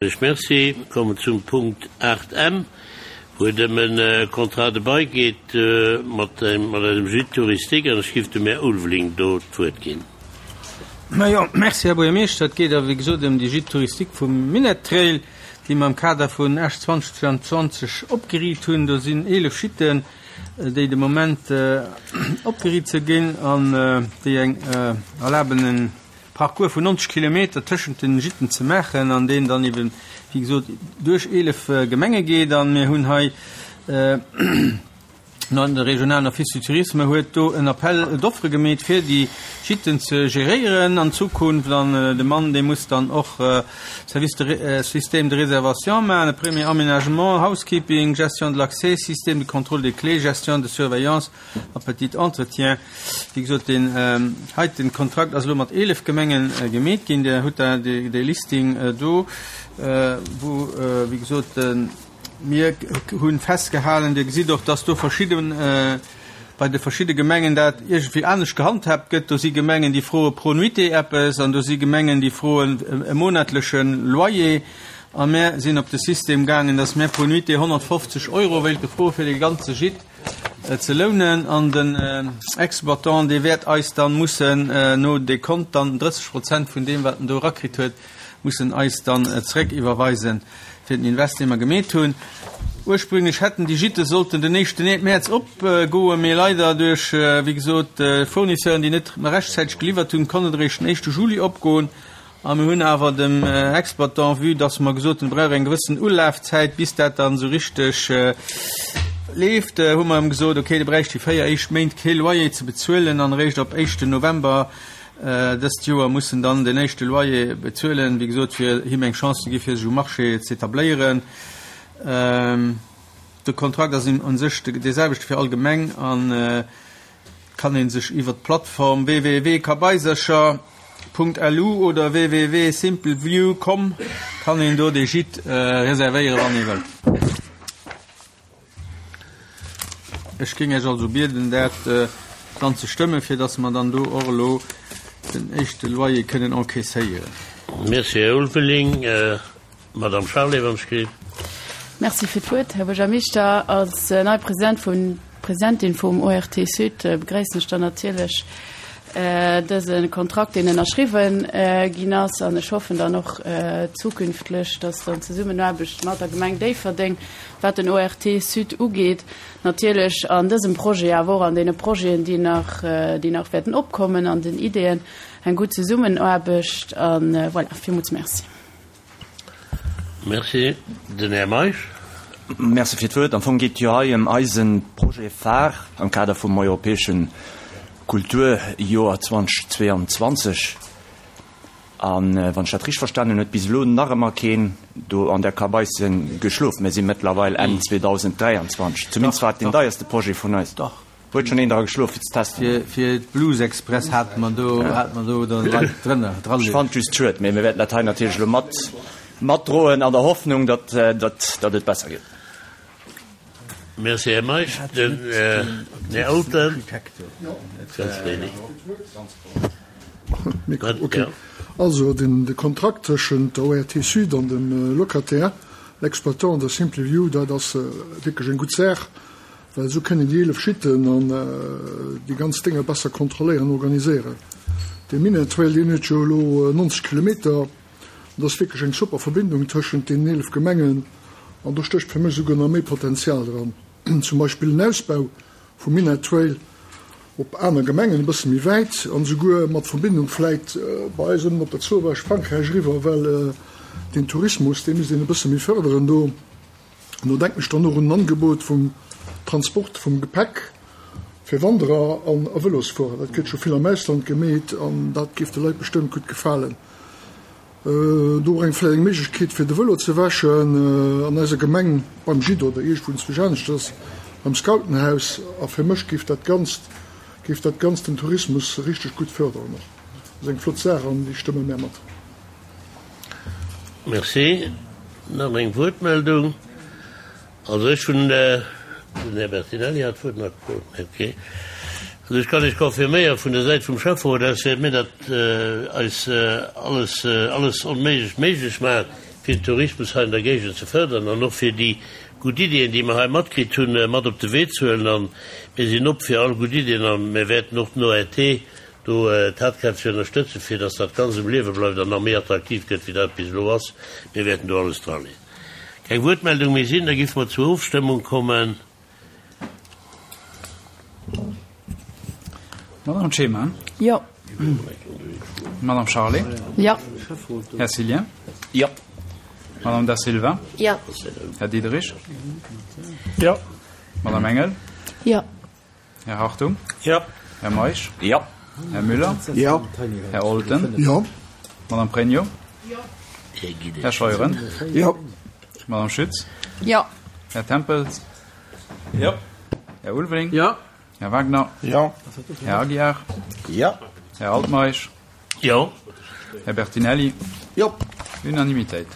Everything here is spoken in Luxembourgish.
Ech merci. Mir kommen zum Punkt 8 M, wou et ëm e Contrat de bail geet mat eisem Gîte touristique, an ech géif dem Här Ulveling do d'Wuert ginn. Majo, merci, Här Buergermeeschter. Et geet a wéi gesot ëm déi Gîte touristique vum Minett Trail, déi mer am Kader vun Esch 2022 opgeriit hunn. Do sinn 11 Gîten, déi de Moment opgeriit ze ginn an déi eng erlaben en Parcours vun 90 Kilometer tëschent den Gîten ze maachen an deen dann eben, wéi gesot, duerch 11 Gemenge geet. An mir hunn hei, de regionalen Office du Tourisme huet do en Appel d'offres gemeet, fir déi Gîten ze geréieren an Zukunft. An de Mann, dee muss dann och Service de, Système de réservation maachen, e premier Aménagement, Housekeeping, Gestion de l'accès, Système de contrôle des clés, Gestion de surveillance, A petit entretien. Wéi gesot, deen heiten Kontrakt ass elo mat 11 Gemenge gemeet ginn. Dir hutt da dee Listing do, wou, wéi gesot, mir hu festgehalen, Dir gesitt och, dass do verschidde, bei de verschidde Gemengen dat iergendwéi anescht gehandhaabt gëtt. Do si Gemengen, déi froe pro Nuitée eppes an do si Gemengen, déi froen e monatleche Loyer. A mir sinn op de System gaangen, dass mir pro Nuitée 150 Euro wéilte froe fir dee ganze Gîte. ze lounen an den Exploitant dee wäert eis dann mussen no Dekont dann 30 Prozent vun deem wat en do erakritt huet mussen eis dann zeréck iwwerweisen fir den Invest dee mer gemeet hunn. Ursprünglech hätten déi Gîte sollten den éischten Mäerz opgoen, mee leider duerch wéi gesot Fournisseuren déi net rechtzäiteg geliwwert hunn, konnt et eréischt den éischte Juli opgoen. A mir hunn awer dem Exploitant, vue dass mer gesot hunn, e brauch eng gewëssen Ulafzäit, bis dat dann esou richteg leeft, hu mer em gesot, okay, de bräicht déi 4 éischt Méint kee Loyer ze bezuelen an eréischt ab éischten November dëst Joer muss en dann den éischte Loyer bezuelen, wéi gesot, fir him eng Chance ze gi fir sech um Marché z'etabléieren. De Kontrakt ass u sech dee selwechte fir all Gemeng an kann een sech iwwert d'Plattform www.kabaisercher.lu oder www.simpleview.com kann een do dee Gîte reservéieren wann ee wëllt. Ech géing Iech also bieden dat dann ze stëmmen, fir dass mer dann do och elo den éischte Loyer kënnen encaisséieren. Merci, Här Ulveling. Madame Charlé, wann ech kritt. Merci fir d'Wuert, Här Buergermeeschter. Als nei President vun, Presidentin vum ORT Sud begréissen ech dann natierlech dëse Kontrakt, deen ënnerschriwwen ginn ass. An ech hoffen dann och zukünftlech, dass dann d'Zesummenaarbecht mat der Gemeng Déifferdeng, wat den ORT Sud ugeet, natierlech an dësem Projet, awer och an deene Projeten, déi nach, déi nach wäerten opkommen, an den Ideeën, eng gutt Zesummenaarbecht. A voilà, villmools Merci. Merci. Den Här Meisch. Merci fir d'Wuert. Am Fong geet et jo hei ëm eise Projet phare am Kader vum europäesche Kulturjoer 2022. A wann ech dat richteg verstanen hunn, huet bis elo nach ëmmer keen do an där Kabaisse geschlof. Mir si mëttlerweil Enn 2023. Zumindest war et deen deierste Projet vun eis. Huet schon een dra geschlof fir ze testen? Fir d'Blues Express hate mer do, hate mer do dann Leit drënner, dra Ech fand just schued, mee mir wäerten dat hei natierlech elo mat, matdroen an der Hoffnung, datt, datt, datt et besser gëtt. Merci, Här Meisch. Den Här Elton, ganz wéini. Mikro, okay. Also den, de Kontrakt tëschent der ORT Sud an dem Locataire, l'exploitant der Simply View, dat ass wierklech eng gutt Saach. Well esou kënnen déi 11 Gîten an déi ganz Dénger besser kontrolléieren an organiséieren. Dee Minett-Trail, deen huet jo elo 90 Kilometer an dat ass wierklech eng super Verbindung tëschent deenen 11 Gemengen an do stécht fir mech esouguer nach méi Potenzial dran. Zum Beispill en Ausbau vum Minett-Trail op aner Gemengen, e bësse méi wäit an esouguer mat Verbindung vläit bei eis ënnen op der Zowaasch Frankräich eriwwer, well deen Tourismus, dee misst een e bësse méi fërderen do. An do denken ech dann och un en Angebot vum Transport vum Gepäck fir Wanderer an a Vëlosfuerer. Dat gëtt scho vill am Ausland gemeet an dat géif de Leit bestëmmt gutt gefalen. Do och eng vläicht eng Méiglechkeet fir de Vëlo ze wäschen an eiser Gemeng beim Gîte oder iergendwou enzwousch aneschters beim Scoutenhaus. A fir mech géif dat Ganzt géif dat Ganzt den Tourismus richteg gutt fërderen och. Ass eng flott Saach an déi stëmme mär mat. Merci. Nach eng Wuertmeldung? Also ech hunn, den Här Bertinelli hat d'Wuert nach gefrot, mee okay. Also ech kann Iech confirméieren, vun der Säit vum Schäfferot aus wäerte mir dat eis alles, alles Onméiglecht méiglech maachen, fir. fir den Tourismus hei an der Géigend ze fërderen an och fir déi gutt Iddien, déi mer hei matkritt hunn, mat op de Wee ze huelen. A mir sinn op fir all gutt Iddien a mir wäerten och den ORT do tatkräfteg ënnerstëtzen, fir dass dat Ganzt um Liewe bleift an nach méi attraktiv gëtt, wéi dat bis elo ass. Mir wäerten do alles draleeën. Keng Wuertmeldung méi sinn, da géife mer zur Ofstëmmung kommen. Madame Clement? Jo. Madame Charlé? Jo. Här Cillien? Jo. Madame Da Silva? Jo. Här Diderich? Jo. Madame Engel? Jo. Här Hartung? Jo. Här Meisch? Jo. Här Müller? Jo. Här Olten? Jo. Madame Pregno? Jo. Här Scheuren? Jo. Madame Schütz? Jo. Här Tempels? Jo. Här Ulveling? Jo. Här Wagner? Jo. Här Aguiar? Jo. Här Altmeisch? Jo. Här Bertinelli? Jo. Unanimitéit.